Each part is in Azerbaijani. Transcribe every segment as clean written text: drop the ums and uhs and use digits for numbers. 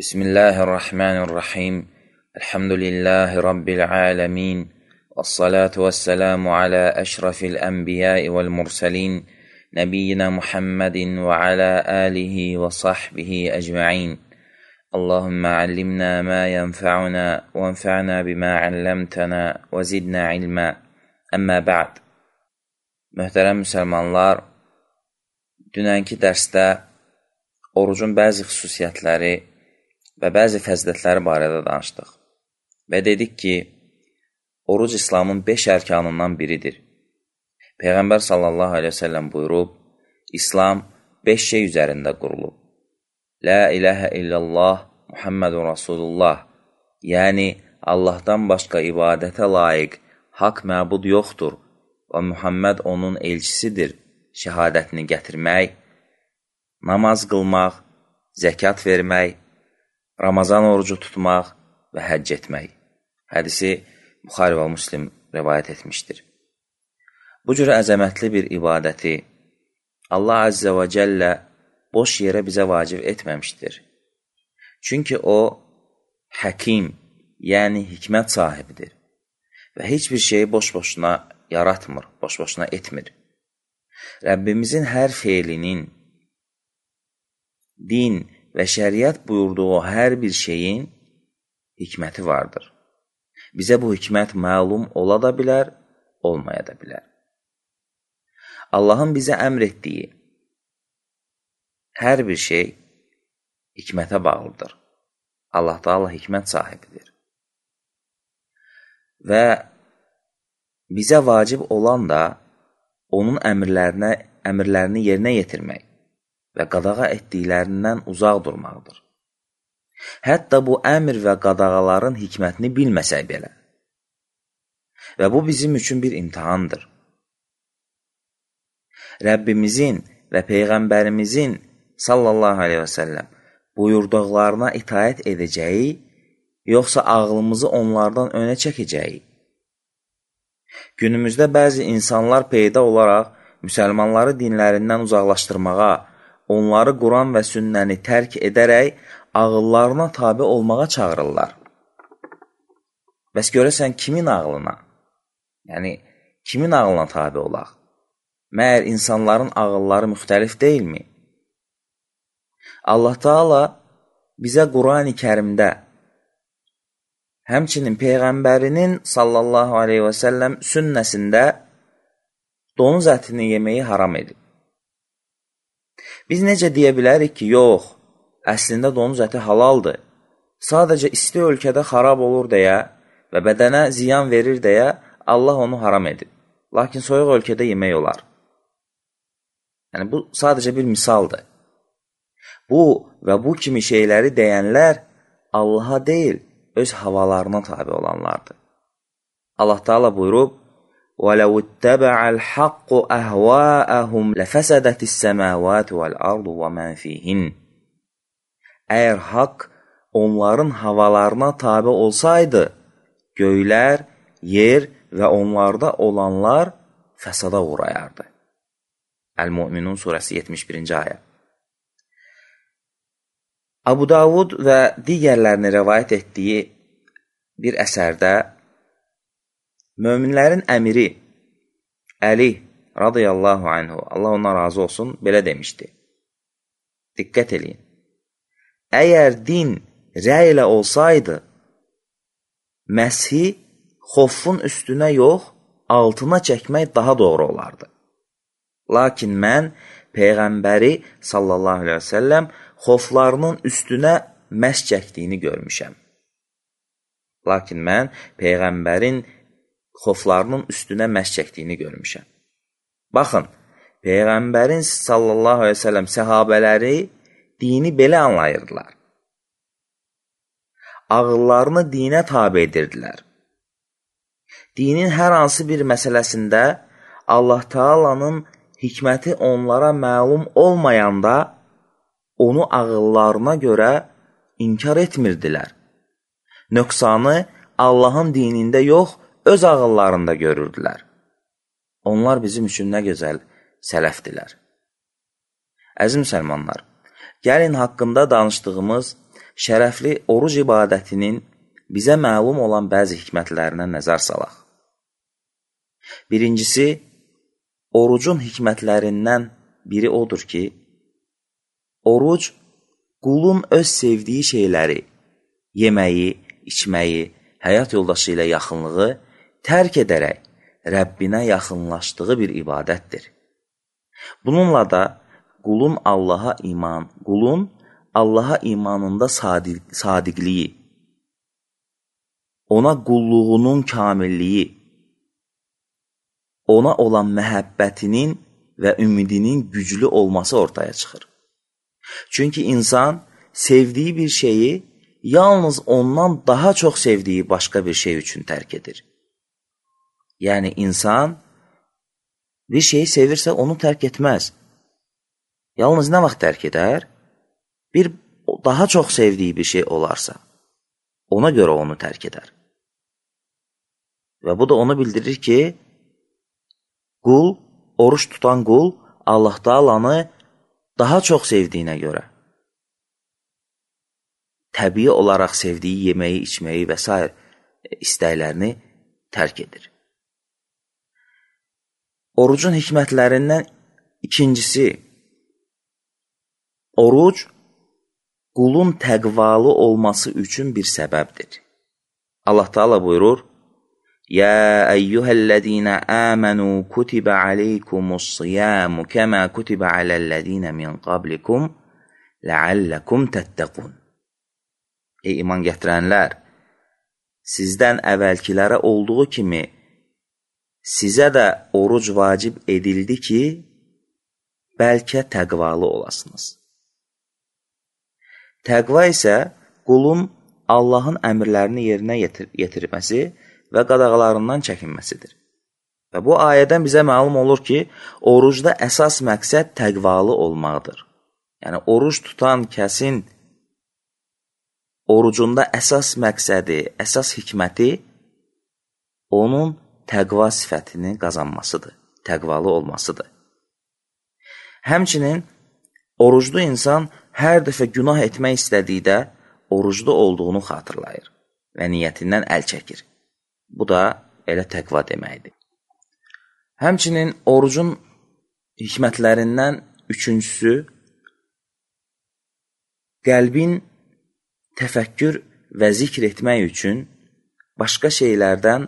Bismillahirrahmanirrahim. Elhamdülillahi Rabbil alemin. Vessalatu vesselamu ala eşrafil enbiyai vel mursalin. Nebiyyina Muhammedin ve ala alihi ve sahbihi ecma'in. Allahümme allimna ma yenfa'una ve enfa'na bima allamtana ve zidna ilma. Əmmə ba'd. Möhtərəm müsəlmanlar, dünənki dərsdə orucun bəzi xüsusiyyətləri və bəzi fəzilətləri barədə danışdıq və dedik ki, oruc İslamın 5 ərkanından biridir. Peyğəmbər sallallahu aleyhi ve sellem buyurub, İslam 5 şey üzərində qurulub. La ilahə illallah Muhammedun Rasulullah, yəni Allahdan başqa ibadətə layiq haqq məbud yoxdur və Muhammed onun elçisidir şəhadətini gətirmək, namaz qılmaq, zəkat vermək, Ramazan orucu tutmaq və həcc etmək. Hədisi Buxari və Müslim rivayət etmişdir. Bu cür əzəmətli bir ibadəti Allah Azze və Cəllə boş yerə bizə vacib etməmişdir. Çünki o, həkim, yəni hikmət sahibidir və heç bir şeyi boş-boşuna yaratmır, boş-boşuna etmir. Rəbbimizin hər feilinin, din və şəriət buyurduğu hər bir şeyin hikməti vardır. Bizə bu hikmət məlum ola da bilər, olmaya da bilər. Allahın bizə əmr etdiyi hər bir şey hikmətə bağlıdır. Allah Taala hikmət sahibidir. Və bizə vacib olan da onun əmrlərini yerinə yetirmək və qadağa etdiklərindən uzaq durmaqdır. Hətta bu əmr və qadağaların hikmətini bilməsək belə. Və bu bizim üçün bir imtihandır. Rəbbimizin və Peyğəmbərimizin sallallahu aleyhi və səlləm buyurduqlarına itaət edəcəyi, yoxsa ağlımızı onlardan önə çəkəcəyi? Günümüzdə bəzi insanlar peyda olaraq müsəlmanları dinlərindən uzaqlaşdırmağa, onları Quran və sünnəni tərk edərək ağıllarına tabi olmağa çağırırlar. Bəs görəsən kimin ağlına? Yəni, kimin ağlına tabi olaq? Məyər insanların ağılları müxtəlif deyilmi? Allah Taala bizə Quran-ı Kərimdə, həmçinin Peyğəmbərinin sallallahu aleyhi və səlləm sünnəsində donuz ətini yeməyi haram edib. Biz necə deyə bilərik ki, yox, əslində donuz əti halaldır. Sadəcə isti ölkədə xarab olur deyə və bədənə ziyan verir deyə Allah onu haram edib. Lakin soyuq ölkədə yemək olar. Yəni, bu sadəcə bir misaldır. Bu və bu kimi şeyləri deyənlər Allaha deyil, öz havalarına tabi olanlardır. Allah Taala buyurub, وَلَوْ اتَّبَعَ الْحَقُّ أَهْوَاءَهُمْ لَفَسَدَتِ السَّمَاوَاتُ وَالْأَرْضُ وَمَنْ فِيهِنْ. Əgər haqq onların havalarına tabi olsaydı, göylər, yer və onlarda olanlar fəsada uğrayardı. Əl-Mü'minun surəsi 71-ci ayə. Abu Davud və digərlərini rəvayət etdiyi bir əsərdə möminlərin əmiri Əli radiyallahu anhu, Allah ondan razı olsun, belə demişdi. Diqqət eləyin. Əgər din rəy ilə olsaydı, məshi xofun üstünə yox, altına çəkmək daha doğru olardı. Lakin mən Peyğəmbəri sallallahu aleyhi və səlləm xoflarının üstünə məs çəkdiyini görmüşəm. Lakin mən Peyğəmbərin xoflarının üstünə məs çəkdiyini görmüşəm. Baxın, Peyğəmbərin sallallahu aleyhi ve sellem səhabələri dini belə anlayırdılar. Ağıllarını dinə tabi edirdilər. Dinin hər hansı bir məsələsində Allah Taala'nın hikməti onlara məlum olmayanda onu ağıllarına görə inkar etmirdilər. Nöqsanı Allahın dinində yox, öz ağıllarında görürdülər. Onlar bizim üçün nə gözəl sələfdilər. Əziz müsəlmanlar, gəlin haqqında danışdığımız şərəfli oruc ibadətinin bizə məlum olan bəzi hikmətlərinə nəzər salaq. Birincisi, orucun hikmətlərindən biri odur ki, oruc qulun öz sevdiyi şeyləri, yeməyi, içməyi, həyat yoldaşı ilə yaxınlığı tərk edərək Rəbbinə yaxınlaşdığı bir ibadətdir. Bununla da qulun Allaha imanında sadiqliyi, ona qulluğunun kamilliyi, ona olan məhəbbətinin və ümidinin güclü olması ortaya çıxır. Çünki insan sevdiyi bir şeyi yalnız ondan daha çox sevdiyi başqa bir şey üçün tərk edir. Yəni, insan bir şeyi sevirsə onu tərk etməz. Yalnız nə vaxt tərk edər? Bir daha çox sevdiyi bir şey olarsa, ona görə onu tərk edər. Və bu da onu bildirir ki, oruç tutan qul Allah Taalanı daha çox sevdiyinə görə təbii olaraq sevdiyi yeməyi, içməyi və s. istəklərini tərk edir. Orucun hikmətlərindən ikincisi, oruc qulun təqvalı olması üçün bir səbəbdir. Allah Taala buyurur, يا أيها الذين آمنوا كتب عليكم الصيام كما كتب على الذين من قبلكم لعلكم تتقون. Ey iman gətirənlər, sizdən əvvəlkilərə olduğu kimi sizə də oruc vacib edildi ki, bəlkə təqvalı olasınız. Təqva isə qulun Allahın əmrlərini yerinə yetirməsi və qadağalarından çəkinməsidir. Və bu ayədən bizə məlum olur ki, orucda əsas məqsəd təqvalı olmaqdır. Yəni, oruc tutan kəsin orucunda əsas məqsədi, əsas hikməti onun təqva sifətini qazanmasıdır, təqvalı olmasıdır. Həmçinin, oruclu insan hər dəfə günah etmək istədikdə oruclu olduğunu xatırlayır və niyyətindən əl çəkir. Bu da elə təqva deməkdir. Həmçinin orucun hikmətlərindən üçüncüsü, qəlbin təfəkkür və zikr etmək üçün başqa şeylərdən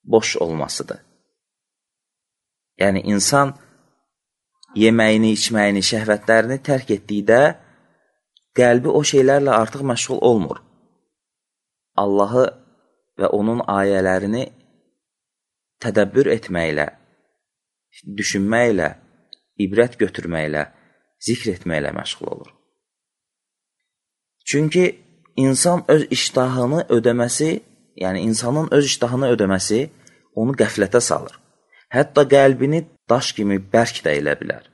boş olmasıdır. Yəni, insan yeməyini, içməyini, şəhvətlərini tərk etdikdə qəlbi o şeylərlə artıq məşğul olmur. Allahı və onun ayələrini tədəbbür etməklə, düşünməklə, ibrət götürməklə, zikr etməklə məşğul olur. Çünki insan öz iştahını ödəməsi, yəni insanın öz iştahını ödəməsi onu qəflətə salır. Hətta qəlbini daş kimi bərk də elə bilər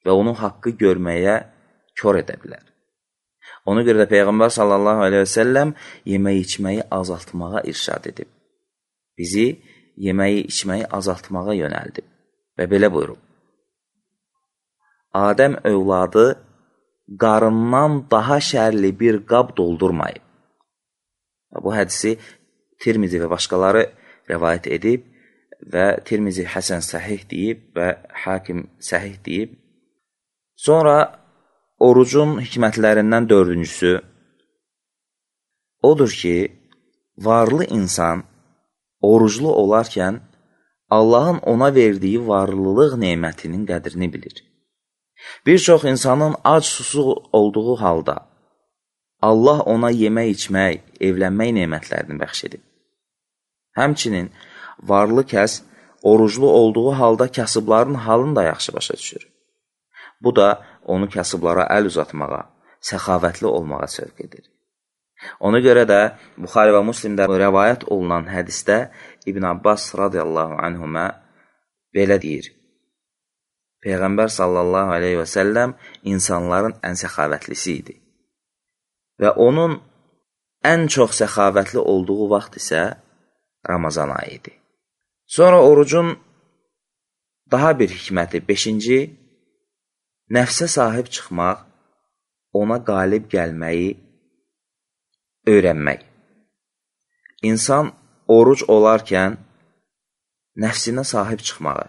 və onu haqqı görməyə kör edə bilər. Ona görə də Peyğəmbər sallallahu aleyhi və səlləm yeməyi içməyi azaltmağa irşad edib. Bizi yeməyi içməyi azaltmağa yönəldib və belə buyurub. Adəm övladı qarından daha şərli bir qab doldurmayıb. Bu hədisi Tirmizi və başqaları rəvayət edib və Tirmizi Həsən səhih deyib və Hakim səhih deyib. Sonra orucun hikmətlərindən dördüncüsü odur ki, varlı insan oruclu olarkən Allahın ona verdiyi varlılıq nemətinin qədrini bilir. Bir çox insanın ac susuz olduğu halda Allah ona yemək, içmək, evlənmək nemətlərini bəxş edib. Həmçinin varlı kəs oruclu olduğu halda kasıbların halını da yaxşı başa düşür. Bu da onu kasıblara əl uzatmağa, səxavətli olmağa sövq edir. Ona görə də Buxari və Müslimdə rəvayət olunan hədisdə İbn Abbas radiyallahu anhümə belə deyir. Peyğəmbər sallallahu aleyhi və səlləm insanların ən səxavətlisi idi. Və onun ən çox səxavətli olduğu vaxt isə Ramazan ayı idi. Sonra orucun daha bir hikməti, 5-ci, nəfsə sahib çıxmaq, ona qalib gəlməyi öyrənmək. İnsan oruc olarkən nəfsinə sahib çıxmağı,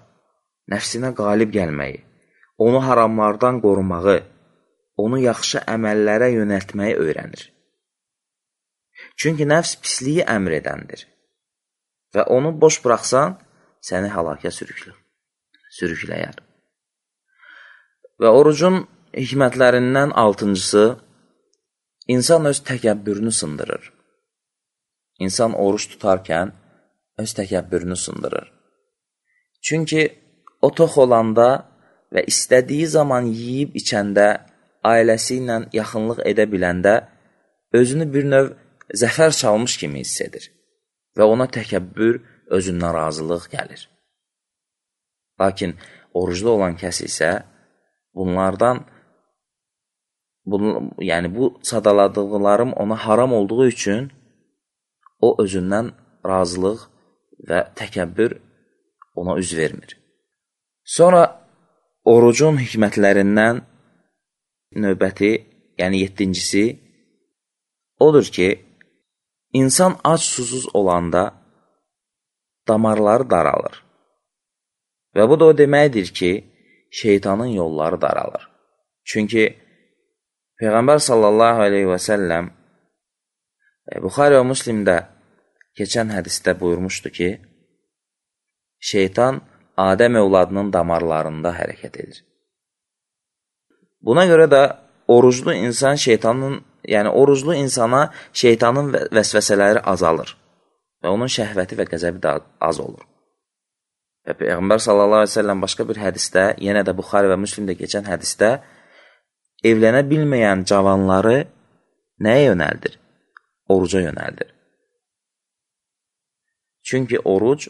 nəfsinə qalib gəlməyi, onu haramlardan qorumağı, onu yaxşı əməllərə yönəltməyi öyrənir. Çünki nəfs pisliyi əmr edəndir və onu boş buraxsan, səni halaka sürükləyər. Və orucun hikmətlərindən 6-cısı, insan öz təkəbbürünü sındırır. İnsan oruç tutarkən öz təkəbbürünü sındırır. Çünki o tox olanda və istədiyi zaman yeyib içəndə, ailəsi ilə yaxınlıq edə biləndə, özünü bir növ zəfər çalmış kimi hiss edir və ona təkəbbür, özündən razılıq gəlir. Lakin oruclu olan kəs isə bunlardan, bu sadaladıqlarım ona haram olduğu üçün o özündən razılıq və təkəbbür ona üz vermir. Sonra orucun hikmətlərindən növbəti, yəni 7-cisi odur ki, insan ac-susuz olanda damarları daralır. Və bu da o deməkdir ki, şeytanın yolları daralır. Çünki Peyğəmbər sallallahu aleyhi və səlləm Buxari və Müslimdə keçən hədisdə buyurmuşdu ki, şeytan Adəm övladının damarlarında hərəkət edir. Buna görə də oruclu insana şeytanın vəsvəsələri azalır və onun şəhvəti və qəzəbi də az olur. Və Peyğəmbər sallallahu aleyhi və səlləm başqa bir hədisdə, yenə də Buxari və Müslimdə keçən hədisdə evlənə bilməyən cavanları nəyə yönəldir? Oruca yönəldir. Çünki oruc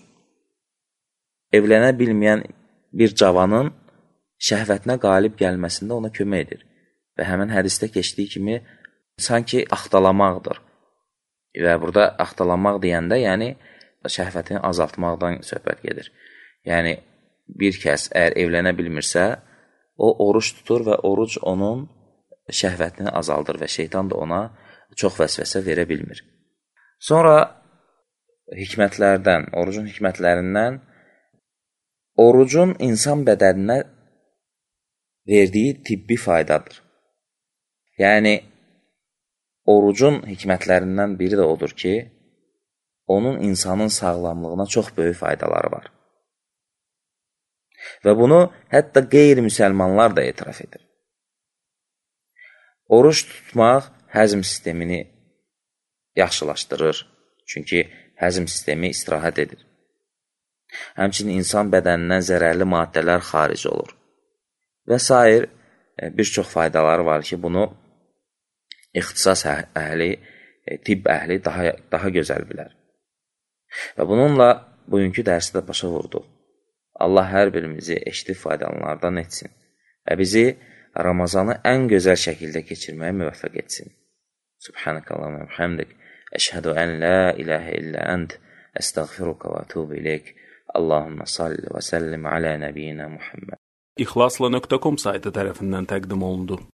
evlənə bilməyən bir cavanın şəhvətinə qalib gəlməsində ona kömək edir. Və həmin hədisdə keçdiyi kimi sanki axtalamaqdır. Və burada axtalamaq deyəndə, yəni şəhvətini azaltmaqdan söhbət gedir. Yəni bir kəs əgər evlənə bilmirsə, o oruç tutur və oruc onun şəhvətini azaldır və şeytan da ona çox vəsvəsə verə bilmir. Sonra hikmətlərdən, orucun hikmətlərindən orucun insan bədəninə verdiyi tibbi faydadır. Yəni, orucun hikmətlərindən biri də odur ki, onun insanın sağlamlığına çox böyük faydaları var. Və bunu hətta qeyri-müsəlmanlar da etiraf edir. Oruç tutmaq həzm sistemini yaxşılaşdırır. Çünki həzm sistemi istirahət edir. Həmçinin insan bədənindən zərərli maddələr xaric olur. Və sair bir çox faydaları var ki, bunu ixtisas əhli, tibb əhli daha gözəl bilər. Və bununla bugünkü dərsi də başa vurduq. Allah hər birimizi eşidib faydalanlardan etsin və bizi Ramazanı ən gözəl şəkildə keçirməyə müvəffəq etsin. Subhanəkallahumma və bihamdik, əşhədu ən la ilahə illə ənt, əstəğfiruka və ətubu ileyk. Allahumma salli və səllim alə nəbiyyina Muhammed. İxlasla.com saytı tərəfindən təqdim olundu.